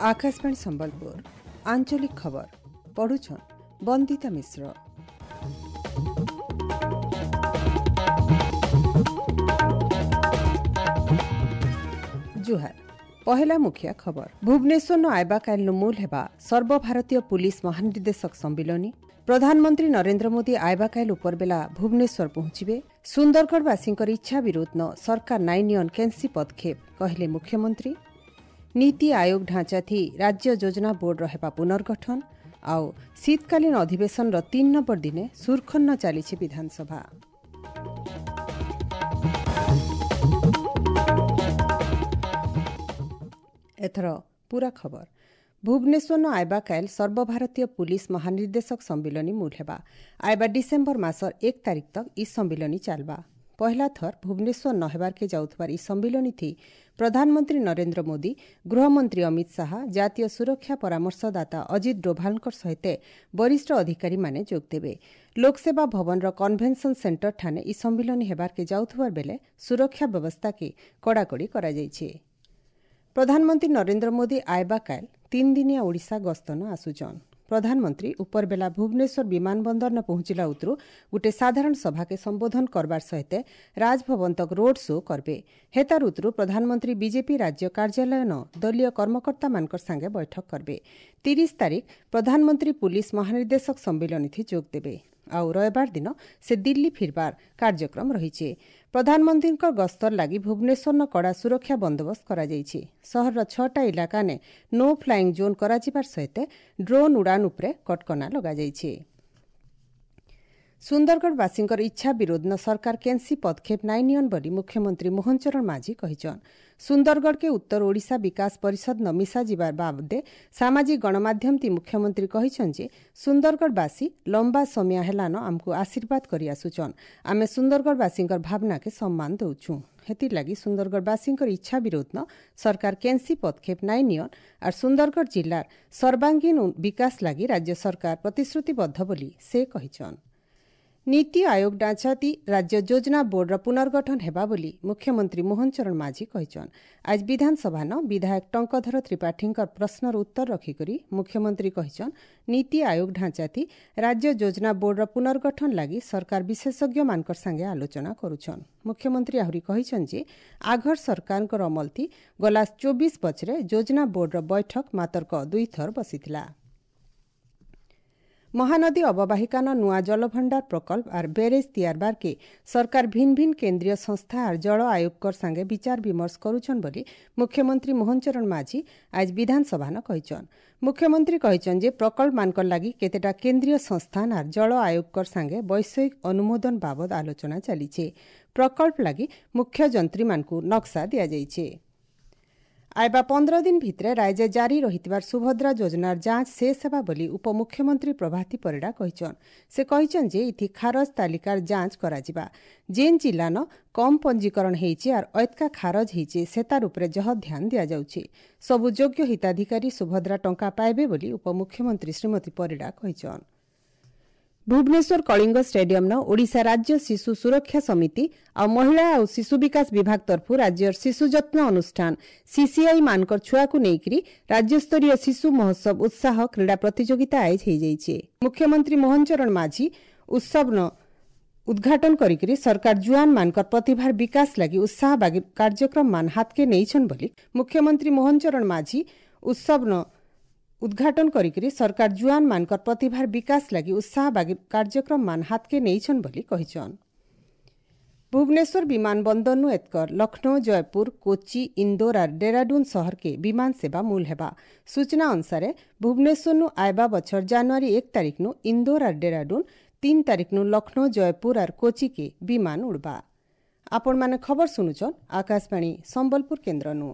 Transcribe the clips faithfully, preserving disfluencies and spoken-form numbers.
ଆକାଶବାଣୀ ସମ୍ବଲପୁର ଆଞ୍ଚଳିକ ଖବର ପଢୁଛନ୍ ବନ୍ଦିତା ମିଶ୍ର। ଜୁହାର। ପହେଲା ମୁଖିଆ ଖବର। ଭୁବନେଶ୍ୱର ଆଇବା କାଇଲ୍ନୁ ମୂଲ ହେବା ସର୍ବଭାରତୀୟ ପୁଲିସ ମହାନିର୍ଦ୍ଦେଶକ ସମ୍ମିଳନୀ। ପ୍ରଧାନମନ୍ତ୍ରୀ ନରେନ୍ଦ୍ର ମୋଦି ଆଇବା କାଇଲ୍ ଉପରବେଲା ଭୁବନେଶ୍ୱର ପହଞ୍ଚିବେ। ସୁନ୍ଦରଗଡ଼ବାସୀଙ୍କର ଇଚ୍ଛା ବିରୋଧ ନ ସରକାର ନାଇଁ ନିଅନ୍ କେନ୍ସି ପଦକ୍ଷେପ କହିଲେ ମୁଖ୍ୟମନ୍ତ୍ରୀ। ନୀତି ଆୟୋଗ ଢାଞ୍ଚାଥି ରାଜ୍ୟ ଯୋଜନା ବୋର୍ଡର ହେବା ପୁନର୍ଗଠନ। ଆଉ ଶୀତକାଳୀନ ଅଧିବେଶନର ତିନି ନମ୍ବର ଦିନେ ସୁରଖନ୍ନ ଚାଲିଛି ବିଧାନସଭା। ଏଥର ପୁରା ଖବର। ଭୁବନେଶ୍ୱର ଆଇବା କାଇଲ୍ ସର୍ବଭାରତୀୟ ପୁଲିସ ମହାନିର୍ଦ୍ଦେଶକ ସମ୍ମିଳନୀ ମୂଲ ହେବା। ଆଇବା ଡିସେମ୍ବର ମାସର ଏକ ତାରିଖ ତକ୍ ଇ ସମ୍ମିଳନୀ ଚାଲବା। ପହଲା ଥର ଭୁବନେଶ୍ୱର ନ ହେବାର୍କେ ଯାଉଥିବାର ଇ ସମ୍ମିଳନୀ ଥି ପ୍ରଧାନମନ୍ତ୍ରୀ ନରେନ୍ଦ୍ର ମୋଦି, ଗୃହମନ୍ତ୍ରୀ ଅମିତ ଶାହା, ଜାତୀୟ ସୁରକ୍ଷା ପରାମର୍ଶଦାତା ଅଜିତ ଡୋଭାଲଙ୍କ ସହିତ ବରିଷ୍ଠ ଅଧିକାରୀମାନେ ଯୋଗଦେବେ। ଲୋକସେବା ଭବନର କନଭେନସନ ସେଣ୍ଟର ଠାନେ ଇ ସମ୍ମିଳନୀ ହେବାର୍କେ ଯାଉଥିବାର ବେଲେ ସୁରକ୍ଷା ବ୍ୟବସ୍ଥାକେ କଡ଼ାକଡ଼ି କରାଯାଇଛି। ପ୍ରଧାନମନ୍ତ୍ରୀ ନରେନ୍ଦ୍ର ମୋଦି ଆଇବା କାଇଲ୍ ତିନି ଦିନିଆ ଓଡ଼ିଶା ଗସ୍ତନ ଆସୁଛନ୍। ପ୍ରଧାନମନ୍ତ୍ରୀ ଉପରବେଲା ଭୁବନେଶ୍ୱର ବିମାନ ବନ୍ଦର ପହଞ୍ଚିଲା ଉତରୁ ଗୁଟେ ସାଧାରଣ ସଭାକେ ସମ୍ବୋଧନ କରବାର ସହିତ ରାଜଭବନ ତକ୍ ରୋଡ୍ ଶୋ କରବେ। ହେତାର ଉତରୁ ପ୍ରଧାନମନ୍ତ୍ରୀ ବିଜେପି ରାଜ୍ୟ କାର୍ଯ୍ୟାଳୟ ନ ଦଳୀୟ କର୍ମକର୍ତ୍ତାମାନଙ୍କର ସାଙ୍ଗେ ବୈଠକ କରବେ। ତିରିଶ ତାରିଖ ପ୍ରଧାନମନ୍ତ୍ରୀ ପୁଲିସ ମହାନିର୍ଦ୍ଦେଶକ ସମ୍ମିଳନୀଥି ଯୋଗ ଦେବେ। ଆଉ ରବିବାର ଦିନ ସେ ଦିଲ୍ଲୀ ଫିରବାର କାର୍ଯ୍ୟକ୍ରମ ରହିଛି। ପ୍ରଧାନମନ୍ତ୍ରୀଙ୍କ ଗସ୍ତର ଲାଗି ଭୁବନେଶ୍ୱରନ କଡ଼ା ସୁରକ୍ଷା ବନ୍ଦୋବସ୍ତ କରାଯାଇଛି। ସହରର ଛଅଟା ଇଲାକାନେ ନୋ ଫ୍ଲାଇଂ ଜୋନ୍ କରାଯିବାର ସହିତ ଡ୍ରୋନ୍ ଉଡ଼ାଣ ଉପରେ କଟକଣା ଲଗାଯାଇଛି। ସୁନ୍ଦରଗଡ଼ବାସୀଙ୍କର ଇଚ୍ଛା ବିରୋଧ ନ ସରକାର କେନ୍ସି ପଦକ୍ଷେପ ନାଇଁ ନିଅନ୍ ବୋଲି ମୁଖ୍ୟମନ୍ତ୍ରୀ ମୋହନ ଚରଣ ମାଝୀ କହିଛନ୍। ସୁନ୍ଦରଗଡ଼କେ ଉତ୍ତର ଓଡ଼ିଶା ବିକାଶ ପରିଷଦ ନ ମିଶାଯିବାର ବାବଦେ ସାମାଜିକ ଗଣମାଧ୍ୟମ ତି ମୁଖ୍ୟମନ୍ତ୍ରୀ କହିଛନ୍ ଯେ ସୁନ୍ଦରଗଡ଼ବାସୀ ଲମ୍ବା ସମୟ ହେଲାନ ଆମକୁ ଆଶୀର୍ବାଦ କରି ଆସୁଛନ୍। ଆମେ ସୁନ୍ଦରଗଡ଼ବାସୀଙ୍କର ଭାବନାକେ ସମ୍ମାନ ଦେଉଛୁଁ। ହେଥିର୍ଲାଗି ସୁନ୍ଦରଗଡ଼ବାସୀଙ୍କର ଇଚ୍ଛା ବିରୋଧ ନ ସରକାର କେନ୍ସି ପଦକ୍ଷେପ ନାଇଁ ନିଅନ୍ ଆର୍ ସୁନ୍ଦରଗଡ଼ ଜିଲ୍ଲାର ସର୍ବାଙ୍ଗୀନ ବିକାଶ ଲାଗି ରାଜ୍ୟ ସରକାର ପ୍ରତିଶ୍ରୁତିବଦ୍ଧ ବୋଲି ସେ କହିଛନ୍। ନୀତି ଆୟୋଗ ଢାଞ୍ଚାତି ରାଜ୍ୟ ଯୋଜନା ବୋର୍ଡର ପୁନର୍ଗଠନ ହେବା ବୋଲି ମୁଖ୍ୟମନ୍ତ୍ରୀ ମୋହନ ଚରଣ ମାଝୀ କହିଛନ୍। ଆଜି ବିଧାନସଭାନ ବିଧାୟକ ଟଙ୍କଧର ତ୍ରିପାଠୀଙ୍କର ପ୍ରଶ୍ନର ଉତ୍ତର ରଖିକରି ମୁଖ୍ୟମନ୍ତ୍ରୀ କହିଛନ୍, ନୀତି ଆୟୋଗ ଢାଞ୍ଚାତି ରାଜ୍ୟ ଯୋଜନା ବୋର୍ଡର ପୁନର୍ଗଠନ ଲାଗି ସରକାର ବିଶେଷଜ୍ଞମାନଙ୍କର ସାଙ୍ଗେ ଆଲୋଚନା କରୁଛନ୍। ମୁଖ୍ୟମନ୍ତ୍ରୀ ଆହୁରି କହିଛନ୍ ଯେ ଆଘର ସରକାରଙ୍କର ଅମଲଥି ଗଲା ଚବିଶ ବଛରେ ଯୋଜନା ବୋର୍ଡର ବୈଠକ ମାତର୍କ ଦୁଇଥର ବସିଥିଲା। ମହାନଦୀ ଅବବାହିକାନ ନୂଆ ଜଳଭଣ୍ଡାର ପ୍ରକଳ୍ପ ଆର୍ ବ୍ୟାରେଜ୍ ତିଆରବାର୍କେ ସରକାର ଭିନ୍ ଭିନ୍ କେନ୍ଦ୍ରୀୟ ସଂସ୍ଥା ଆର୍ ଜଳ ଆୟୋଗଙ୍କର ସାଙ୍ଗେ ବିଚାର ବିମର୍ଶ କରୁଛନ୍ ବୋଲି ମୁଖ୍ୟମନ୍ତ୍ରୀ ମୋହନ ଚରଣ ମାଝୀ ଆଜି ବିଧାନସଭାନ କହିଛନ୍। ମୁଖ୍ୟମନ୍ତ୍ରୀ କହିଛନ୍ ଯେ ପ୍ରକଳ୍ପମାନଙ୍କର ଲାଗି କେତେଟା କେନ୍ଦ୍ରୀୟ ସଂସ୍ଥାନ ଆର୍ ଜଳ ଆୟୋଗଙ୍କର ସାଙ୍ଗେ ବୈଷୟିକ ଅନୁମୋଦନ ବାବଦ ଆଲୋଚନା ଚାଲିছে। ପ୍ରକଳ୍ପ ଲାଗି ମୁଖ୍ୟ ଯନ୍ତ୍ରୀମାନଙ୍କୁ ନକ୍ସା ଦିଆଯାଇଛି। ଆଇବା ପନ୍ଦର ଦିନ ଭିତରେ ରାଜ୍ୟ ଜାରି ରହିଥିବାର ସୁଭଦ୍ରା ଯୋଜନାର ଯାଞ୍ଚ ଶେଷ ହେବା ବୋଲି ଉପମୁଖ୍ୟମନ୍ତ୍ରୀ ପ୍ରଭାତୀ ପରିଡ଼ା କହିଛନ୍। ସେ କହିଛନ୍ ଯେ ଇଥି ଖାରଜ ତାଲିକାର ଯାଞ୍ଚ କରାଯିବା। ଯେନ୍ ଜିଲ୍ଲାନ କମ୍ ପଞ୍ଜୀକରଣ ହେଇଛି ଆର୍ ଐତକା ଖାରଜ ହେଇଛି ସେତାର ଉପରେ ଜହ ଧ୍ୟାନ ଦିଆଯାଉଛି। ସବୁ ଯୋଗ୍ୟ ହିତାଧିକାରୀ ସୁଭଦ୍ରା ଟଙ୍କା ପାଇବେ ବୋଲି ଉପମୁଖ୍ୟମନ୍ତ୍ରୀ ଶ୍ରୀମତୀ ପରିଡ଼ା କହିଛନ୍। ଭୁବନେଶ୍ୱର କଳିଙ୍ଗ ଷ୍ଟାଡିୟମ୍ନ ଓଡ଼ିଶା ରାଜ୍ୟ ଶିଶୁ ସୁରକ୍ଷା ସମିତି ଆଉ ମହିଳା ଆଉ ଶିଶୁ ବିକାଶ ବିଭାଗ ତରଫରୁ ରାଜ୍ୟର ଶିଶୁ ଯତ୍ନ ଅନୁଷ୍ଠାନ ସିସିଆଇ ମାନଙ୍କର ଛୁଆକୁ ନେଇକରି ରାଜ୍ୟସ୍ତରୀୟ ଶିଶୁ ମହୋତ୍ସବ ଉତ୍ସାହ କ୍ରୀଡ଼ା ପ୍ରତିଯୋଗିତା ଆୟୋଜ ହୋଇଯାଇଛି। ମୁଖ୍ୟମନ୍ତ୍ରୀ ମୋହନ ଚରଣ ମାଝୀ ଉତ୍ସବନ ଉଦ୍ଘାଟନ କରିକରି ସରକାର ଜୁଆନ ମାନଙ୍କର ପ୍ରତିଭାର ବିକାଶ ଲାଗି ଉତ୍ସାହ କାର୍ଯ୍ୟକ୍ରମ ମାନ ହାତକେ ନେଇଛନ୍ ବୋଲି ମୁଖ୍ୟମନ୍ତ୍ରୀ ମୋହନ ଚରଣ ମାଝୀ ଉତ୍ସବନ ଉଦ୍ଘାଟନ କରିକରି ସରକାର ଜୁଆନ ମାନଙ୍କର ପ୍ରତିଭାର ବିକାଶ ଲାଗି ଉତ୍ସାହ କାର୍ଯ୍ୟକ୍ରମ ମାନ ହାତକେ ନେଇଛନ୍ ବୋଲି କହିଛନ୍। ଭୁବନେଶ୍ୱର ବିମାନ ବନ୍ଦରନୁ ଏତକର ଲକ୍ଷ୍ନୌ, ଜୟପୁର, କୋଚି, ଇନ୍ଦୋର ଆର୍ ଡେରାଡୁନ୍ ସହରକେ ବିମାନ ସେବା ମୂଲ ହେବା। ସୂଚନା ଅନୁସାରେ ଭୁବନେଶ୍ୱରନୁ ଆଇବା ବଛର ଜାନୁଆରୀ ଏକ ତାରିଖନୁ ଇନ୍ଦୋର ଆର୍ ଡେରାଡୁନ୍, ତିନି ତାରିଖନୁ ଲକ୍ଷ୍ନୌ, ଜୟପୁର ଆର୍ କୋଚିକେ ବିମାନ ଉଡ଼ବା। ଆପଣମାନେ ଖବର ଶୁଣୁଛନ୍ ଆକାଶବାଣୀ ସମ୍ବଲପୁର କେନ୍ଦ୍ରନୁ।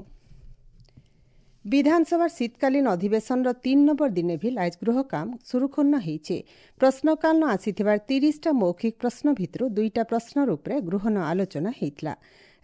ବିଧାନସଭାର ଶୀତକାଳୀନ ଅଧିବେଶନର ତିନି ନମ୍ବର ଦିନେ ଭି ଆଜ ଗୃହ କାମ ସୁରୁଖୁନ୍ନ ହେଇଛେ। ପ୍ରଶ୍ନକାଳନ ଆସିଥିବାର ତିରିଶଟା ମୌଖିକ ପ୍ରଶ୍ନ ଭିତରୁ ଦୁଇଟା ପ୍ରଶ୍ନର ଉପରେ ଗୃହନ ଆଲୋଚନା ହେଇଥିଲା।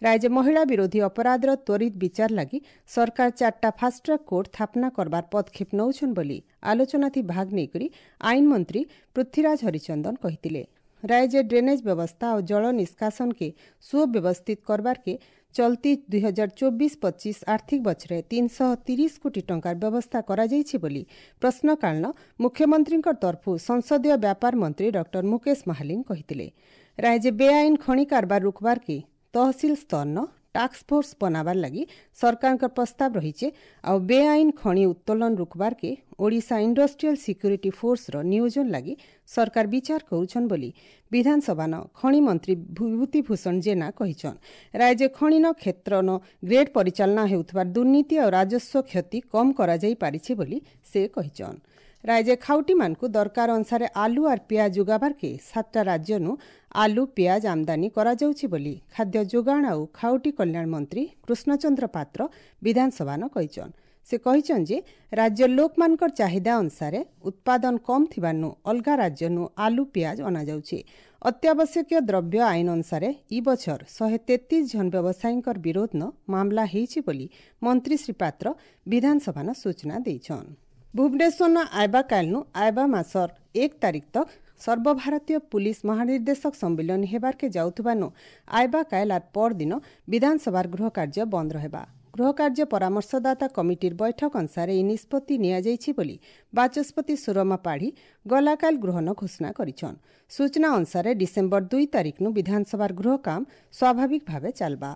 ରାଜ୍ୟ ମହିଳା ବିରୋଧୀ ଅପରାଧର ତ୍ୱରିତ ବିଚାର ଲାଗି ସରକାର ଚାରିଟା ଫାଷ୍ଟଟ୍ରାକ୍ କୋର୍ଟ ସ୍ଥାପନା କରବାର ପଦକ୍ଷେପ ନେଉଛନ୍ ବୋଲି ଆଲୋଚନାଥି ଭାଗ ନେଇକରି ଆଇନ ମନ୍ତ୍ରୀ ପୃଥ୍ୱୀରାଜ ହରିଚନ୍ଦନ କହିଥିଲେ। ରାଜ୍ୟ ଡ୍ରେନେଜ୍ ବ୍ୟବସ୍ଥା ଆଉ ଜଳ ନିଷ୍କାସନକେ ସୁବ୍ୟବସ୍ଥିତ କରବାରକେ ଚଲତି ଦୁଇ ହଜାର ଚବିଶ ପଚିଶ ଆର୍ଥିକ ବଛରେ ତିନିଶହ ତିରିଶ କୋଟି ଟଙ୍କାର ବ୍ୟବସ୍ଥା କରାଯାଇଛି ବୋଲି ପ୍ରଶ୍ନକାଳୀନ ମୁଖ୍ୟମନ୍ତ୍ରୀଙ୍କ ତରଫୁ ସଂସଦୀୟ ବ୍ୟାପାର ମନ୍ତ୍ରୀ ଡକ୍ଟର ମୁକେଶ ମହାଲିଙ୍ଗ କହିଥିଲେ। ରାଜ୍ୟ ବେଆଇନ ଖଣି କାରବାର ରୋକବାର କେ ତହସିଲ ସ୍ତରନ ଟାସ୍କ ଫୋର୍ସ ବନାବାର ଲାଗି ସରକାରଙ୍କ ପ୍ରସ୍ତାବ ରହିছে। ଆଉ ବେଆଇନ ଖଣି ଉତ୍ତୋଳନ ରୋକବାର କେ ଓଡ଼ିଶା ଇଣ୍ଡଷ୍ଟ୍ରିଆଲ ସିକ୍ୟୁରିଟି ଫୋର୍ସର ନିୟୋଜନ ଲାଗି ସରକାର ବିଚାର କରୁଛନ୍ ବୋଲି ବିଧାନସଭାନ ଖଣି ମନ୍ତ୍ରୀ ବିଭୂତି ଭୂଷଣ ଜେନା କହିଛନ୍। ରାଜ୍ୟ ଖଣିନ କ୍ଷେତ୍ରନ ଗ୍ରେଡ୍ ପରିଚାଳନା ହେଉଥିବା ଦୁର୍ନୀତି ଆଉ ରାଜସ୍ୱ କ୍ଷତି କମ୍ କରାଯାଇ ପାରିଛି ବୋଲି ସେ କହିଛନ୍। ରାଜ୍ୟ ଖାଉଟିମାନଙ୍କୁ ଦରକାର ଅନୁସାରେ ଆଲୁ ଆର୍ ପିଆଜ ଯୋଗାବାର୍କେ ସାତଟା ରାଜ୍ୟନୁ ଆଲୁ ପିଆଜ ଆମଦାନୀ କରାଯାଉଛି ବୋଲି ଖାଦ୍ୟ ଯୋଗାଣ ଆଉ ଖାଉଟି କଲ୍ୟାଣ ମନ୍ତ୍ରୀ କୃଷ୍ଣଚନ୍ଦ୍ର ପାତ୍ର ବିଧାନସଭାନ କହିଛନ୍। ସେ କହିଛନ୍ ଯେ ରାଜ୍ୟ ଲୋକମାନଙ୍କର ଚାହିଦା ଅନୁସାରେ ଉତ୍ପାଦନ କମ୍ ଥିବାନୁ ଅଲଗା ରାଜ୍ୟନୁ ଆଲୁ ପିଆଜ ଅଣାଯାଉଛି। ଅତ୍ୟାବଶ୍ୟକୀୟ ଦ୍ରବ୍ୟ ଆଇନ ଅନୁସାରେ ଇ ବଛର ଶହେ ତେତିଶ ଜଣ ବ୍ୟବସାୟୀଙ୍କର ବିରୋଧନ ମାମଲା ହେଇଛି ବୋଲି ମନ୍ତ୍ରୀ ଶ୍ରୀ ପାତ୍ର ବିଧାନସଭାନ ସୂଚନା ଦେଇଛନ୍। ଭୁବନେଶ୍ୱର ଆଇବା କାଲନୁ ଆଇବା ମାସର ଏକ ତାରିଖ ତକ୍ ସର୍ବଭାରତୀୟ ପୁଲିସ ମହାନିର୍ଦ୍ଦେଶକ ସମ୍ମିଳନୀ ହେବାର୍କେ ଯାଉଥିବାନୁ ଆଇବା କାଏଲ ଆର୍ ପରଦିନ ବିଧାନସଭାର ଗୃହ କାର୍ଯ୍ୟ ବନ୍ଦ ରହିବା। ଗୃହ କାର୍ଯ୍ୟ ପରାମର୍ଶଦାତା କମିଟିର ବୈଠକ ଅନୁସାରେ ଏହି ନିଷ୍ପତ୍ତି ନିଆଯାଇଛି ବୋଲି ବାଚସ୍ପତି ସୁରମା ପାଢ଼ୀ ଗଲାକାଲ ଗୃହନ ଘୋଷଣା କରିଛନ୍। ସୂଚନା ଅନୁସାରେ ଡିସେମ୍ବର ଦୁଇ ତାରିଖନୁ ବିଧାନସଭାର ଗୃହ କାମ ସ୍ୱାଭାବିକ ଭାବେ ଚାଲବା।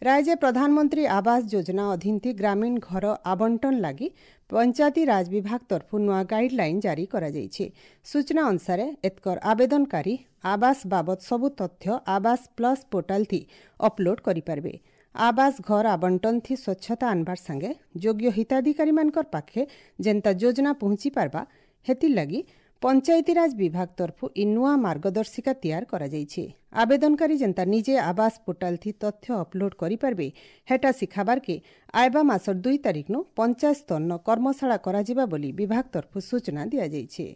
ରାଜ୍ୟ ପ୍ରଧାନମନ୍ତ୍ରୀ ଆବାସ ଯୋଜନା ଅଧୀନ ଗ୍ରାମୀଣ ଘର ଆବଣ୍ଟନ ଲାଗି ପଞ୍ଚାୟତି ରାଜ ବିଭାଗ ତରଫରୁ ନୂଆ ଗାଇଡଲାଇନ୍ ଜାରି କରାଯାଇଛି। ସୂଚନା ଅନୁସାରେ ଏତକର ଆବେଦନକାରୀ ଆବାସ ବାବଦ ସବୁ ତଥ୍ୟ ଆବାସ ପ୍ଲସ୍ ପୋର୍ଟାଲ ଥି ଅପଲୋଡ୍ କରିପାରିବେ। ଆବାସ ଘର ଆବଣ୍ଟନ ଥି ସ୍ୱଚ୍ଛତା ଆନବାର ସାଙ୍ଗେ ଯୋଗ୍ୟ ହିତାଧିକାରୀମାନଙ୍କର ପାଖେ ଯେନ୍ତା ଯୋଜନା ପହଞ୍ଚି ପାରବା ହେଥିର୍ଲାଗି ପଞ୍ଚାୟତିରାଜ ବିଭାଗ ତରଫରୁ ଇ ନୂଆ ମାର୍ଗଦର୍ଶିକା ତିଆର କରାଯାଇଛି। ଆବେଦନକାରୀ ଯେନ୍ତା ନିଜେ ଆବାସ ପୋର୍ଟାଲ ଥି ତଥ୍ୟ ଅପଲୋଡ୍ କରିପାରିବେ ହେଟା ଶିଖାବାର୍କେ ଆଇବା ମାସର ଦୁଇ ତାରିଖନୁ ପଞ୍ଚାୟତ ସ୍ତରନ କର୍ମଶାଳା କରାଯିବା ବୋଲି ବିଭାଗ ତରଫରୁ ସୂଚନା ଦିଆଯାଇଛି।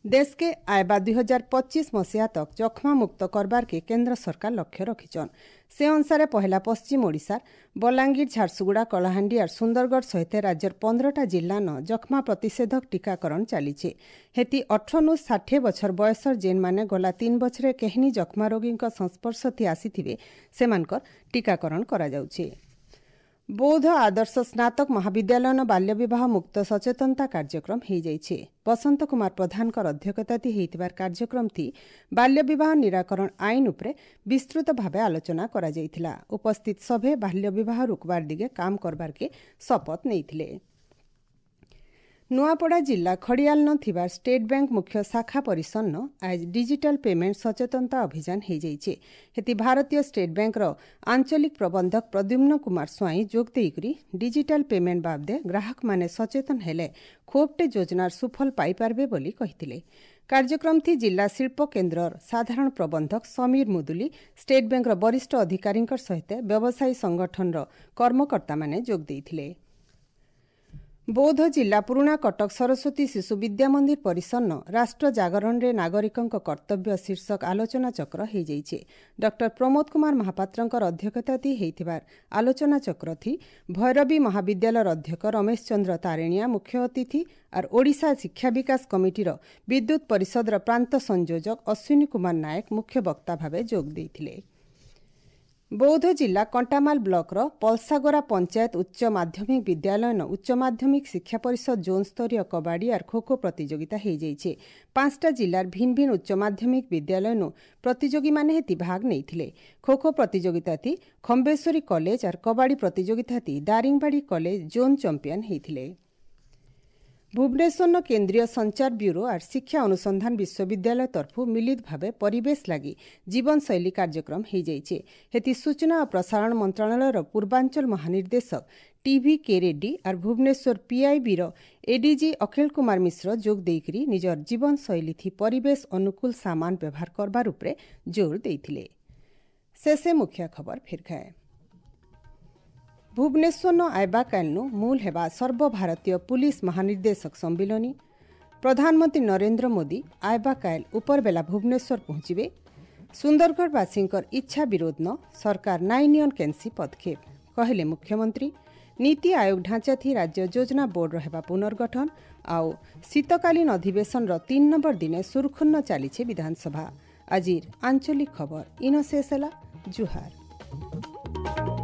ଦେଶକେ ଆଇବା ଦୁଇ ହଜାର ପଚିଶ ମସିହା ତକ୍ ଯକ୍ଷ୍ମା ମୁକ୍ତ କରବାର୍କେ କେନ୍ଦ୍ର ସରକାର ଲକ୍ଷ୍ୟ ରଖିଛନ୍। ସେ ଅନୁସାରେ ପହିଲା ପଶ୍ଚିମ ଓଡ଼ିଶାର ବଲାଙ୍ଗୀର, ଝାରସୁଗୁଡ଼ା, କଳାହାଣ୍ଡି ଆର୍ ସୁନ୍ଦରଗଡ଼ ସହିତ ରାଜ୍ୟର ପନ୍ଦରଟା ଜିଲ୍ଲାନ ଯକ୍ଷ୍ମା ପ୍ରତିଷେଧକ ଟୀକାକରଣ ଚାଲିছে। ହେତି ଅଠରନୁ ଷାଠିଏ ବଛର ବୟସର ଯେନ୍ମାନେ ଗଲା ତିନି ବଛରେ କେହିନି ଯକ୍ଷ୍ମା ରୋଗୀଙ୍କ ସଂସ୍ପର୍ଶ ଥି ଆସିଥିବେ ସେମାନଙ୍କର ଟୀକାକରଣ କରାଯାଉଛି। ବୌଦ୍ଧ ଆଦର୍ଶ ସ୍ନାତକ ମହାବିଦ୍ୟାଳୟନ ବାଲ୍ୟବିବାହ ମୁକ୍ତ ସଚେତନତା କାର୍ଯ୍ୟକ୍ରମ ହୋଇଯାଇଛି। ବସନ୍ତ କୁମାର ପ୍ରଧାନଙ୍କର ଅଧ୍ୟକ୍ଷତାତି ହୋଇଥିବାର କାର୍ଯ୍ୟକ୍ରମଟି ବାଲ୍ୟବିବାହ ନିରାକରଣ ଆଇନ ଉପରେ ବିସ୍ତୃତ ଭାବେ ଆଲୋଚନା କରାଯାଇଥିଲା। ଉପସ୍ଥିତ ସଭେ ବାଲ୍ୟବିବାହ ରୋକବାର ଦିଗେ କାମ କରବାର୍କେ ଶପଥ ନେଇଥିଲେ। ନୂଆପଡ଼ା ଜିଲ୍ଲା ଖଡ଼ିଆଲନ ଥିବା ଷ୍ଟେଟ୍ ବ୍ୟାଙ୍କ ମୁଖ୍ୟ ଶାଖା ପରିସରନ ଆଜ ଡିଜିଟାଲ ପେମେଣ୍ଟ ସଚେତନତା ଅଭିଯାନ ହୋଇଯାଇଛି। ହେତି ଭାରତୀୟ ଷ୍ଟେଟ୍ ବ୍ୟାଙ୍କର ଆଞ୍ଚଳିକ ପ୍ରବନ୍ଧକ ପ୍ରଦ୍ୟୁମ୍ନ କୁମାର ସ୍ୱାଇଁ ଯୋଗ ଦେଇକରି ଡିଜିଟାଲ ପେମେଣ୍ଟ ବାବଦେ ଗ୍ରାହକମାନେ ସଚେତନ ହେଲେ ଖୋବଟେ ଯୋଜନାର ସୁଫଳ ପାଇପାରିବେ ବୋଲି କହିଥିଲେ। କାର୍ଯ୍ୟକ୍ରମଥି ଜିଲ୍ଲା ଶିଳ୍ପ କେନ୍ଦ୍ରର ସାଧାରଣ ପ୍ରବନ୍ଧକ ସମୀର ମୁଦୁଲି, ଷ୍ଟେଟ୍ ବ୍ୟାଙ୍କର ବରିଷ୍ଠ ଅଧିକାରୀଙ୍କ ସହିତ ବ୍ୟବସାୟୀ ସଂଗଠନର କର୍ମକର୍ତ୍ତାମାନେ ଯୋଗ ଦେଇଥିଲେ। ବୌଦ୍ଧ ଜିଲ୍ଲା ପୁରୁଣା କଟକ ସରସ୍ୱତୀ ଶିଶୁ ବିଦ୍ୟା ମନ୍ଦିର ପରିସରନ ରାଷ୍ଟ୍ର ଜାଗରଣରେ ନାଗରିକଙ୍କ କର୍ତ୍ତବ୍ୟ ଶୀର୍ଷକ ଆଲୋଚନାଚକ୍ର ହୋଇଯାଇଛି। ଡକ୍ଟର ପ୍ରମୋଦ କୁମାର ମହାପାତ୍ରଙ୍କର ଅଧ୍ୟକ୍ଷତାତି ହୋଇଥିବା ଆଲୋଚନାଚକ୍ରଥି ଭୈରବୀ ମହାବିଦ୍ୟାଳୟର ଅଧ୍ୟକ୍ଷ ରମେଶ ଚନ୍ଦ୍ର ତାରେଣିଆ ମୁଖ୍ୟ ଅତିଥି ଆର୍ ଓଡ଼ିଶା ଶିକ୍ଷା ବିକାଶ କମିଟିର ବିଦ୍ୟୁତ୍ ପରିଷଦର ପ୍ରାନ୍ତ ସଂଯୋଜକ ଅଶ୍ୱିନୀ କୁମାର ନାୟକ ମୁଖ୍ୟ ବକ୍ତା ଭାବେ ଯୋଗ ଦେଇଥିଲେ। ବୌଦ୍ଧ ଜିଲ୍ଲା କଣ୍ଟାମାଲ ବ୍ଲକର ପଲସାଗୋରା ପଞ୍ଚାୟତ ଉଚ୍ଚ ମାଧ୍ୟମିକ ବିଦ୍ୟାଳୟନ ଉଚ୍ଚ ମାଧ୍ୟମିକ ଶିକ୍ଷା ପରିଷଦ ଜୋନ୍ ସ୍ତରୀୟ କବାଡ଼ି ଆର୍ ଖୋଖୋ ପ୍ରତିଯୋଗିତା ହୋଇଯାଇଛି। ପାଞ୍ଚଟା ଜିଲ୍ଲାର ଭିନ୍ନ ଭିନ୍ନ ଉଚ୍ଚ ମାଧ୍ୟମିକ ବିଦ୍ୟାଳୟନୁ ପ୍ରତିଯୋଗୀମାନେ ହେତି ଭାଗ ନେଇଥିଲେ। ଖୋଖୋ ପ୍ରତିଯୋଗିତାତି ଖମ୍ବେଶ୍ୱରୀ କଲେଜ ଆର୍ କବାଡ଼ି ପ୍ରତିଯୋଗିତାତି ଦାରିଙ୍ଗବାଡ଼ି କଲେଜ ଜୋନ୍ ଚମ୍ପିଆନ ହୋଇଥିଲେ। ଭୁବନେଶ୍ୱରର କେନ୍ଦ୍ରୀୟ ସଞ୍ଚାର ବ୍ୟୁରୋ ଆର୍ ଶିକ୍ଷା ଅନୁସନ୍ଧାନ ବିଶ୍ୱବିଦ୍ୟାଳୟ ତରଫରୁ ମିଳିତ ଭାବେ ପରିବେଶ ଲାଗି ଜୀବନଶୈଳୀ କାର୍ଯ୍ୟକ୍ରମ ହୋଇଯାଇଛି। ହେତି ସୂଚନା ଓ ପ୍ରସାରଣ ମନ୍ତ୍ରଣାଳୟର ପୂର୍ବାଞ୍ଚଳ ମହାନିର୍ଦ୍ଦେଶକ ଟିଭି କେ ରେଡ୍ଡି ଆର୍ ଭୁବନେଶ୍ୱର ପିଆଇବିର ଏଡିଜି ଅଖିଳ କୁମାର ମିଶ୍ର ଯୋଗ ଦେଇକରି ନିଜର ଜୀବନଶୈଳୀ ଥି ପରିବେଶ ଅନୁକୂଳ ସାମାନ ବ୍ୟବହାର କରବାର ଉପରେ ଜୋର ଦେଇଥିଲେ। ଶେଷେ ମୁଖ୍ୟ ଖବର ଫିର୍ ଖାଏ। ଭୁବନେଶ୍ୱର ଆଇବା କାଲନୁ ମୂଲ ହେବା ସର୍ବଭାରତୀୟ ପୁଲିସ ମହାନିର୍ଦ୍ଦେଶକ ସମ୍ମିଳନୀ। ପ୍ରଧାନମନ୍ତ୍ରୀ ନରେନ୍ଦ୍ର ମୋଦି ଆଇବା କାଏଲ ଉପରବେଲା ଭୁବନେଶ୍ୱର ପହଞ୍ଚିବେ। ସୁନ୍ଦରଗଡ଼ବାସୀଙ୍କର ଇଚ୍ଛା ବିରୋଧ ନ ସରକାର ନାଇଁ ନିଅନ୍ କେନ୍ସି ପଦକ୍ଷେପ କହିଲେ ମୁଖ୍ୟମନ୍ତ୍ରୀ। ନୀତି ଆୟୋଗ ଢାଞ୍ଚାଥି ରାଜ୍ୟ ଯୋଜନା ବୋର୍ଡର ହେବା ପୁନର୍ଗଠନ। ଆଉ ଶୀତକାଳୀନ ଅଧିବେଶନର ତିନି ନମ୍ବର ଦିନେ ସୁରୁଖୁନ୍ନ ଚାଲିଛି ବିଧାନସଭା। ଆଜିର ଆଞ୍ଚଳିକ ଖବର ଇନ ଶେଷ ହେଲା। ଜୁହାର।